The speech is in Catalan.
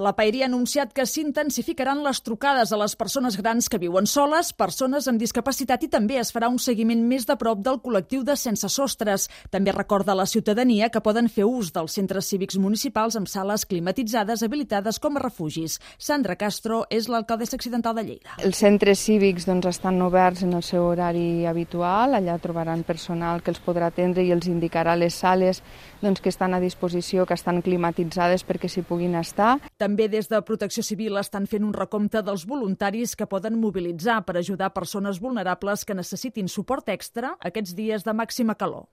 La Paeria ha anunciat que s'intensificaran les trucades a les persones grans que viuen soles, persones amb discapacitat i també es farà un seguiment més de prop del col·lectiu de sense sostres. També recorda a la ciutadania que poden fer ús dels centres cívics municipals amb sales climatitzades habilitades com a refugis. Sandra Castro és l'alcaldessa accidental de Lleida. Els centres cívics estan oberts en el seu horari habitual. Allà trobaran personal que els podrà atendre i els indicarà les sales que estan a disposició, que estan climatitzades perquè s'hi puguin estar. També des de Protecció Civil estan fent un recompte dels voluntaris que poden mobilitzar per ajudar persones vulnerables que necessitin suport extra aquests dies de màxima calor.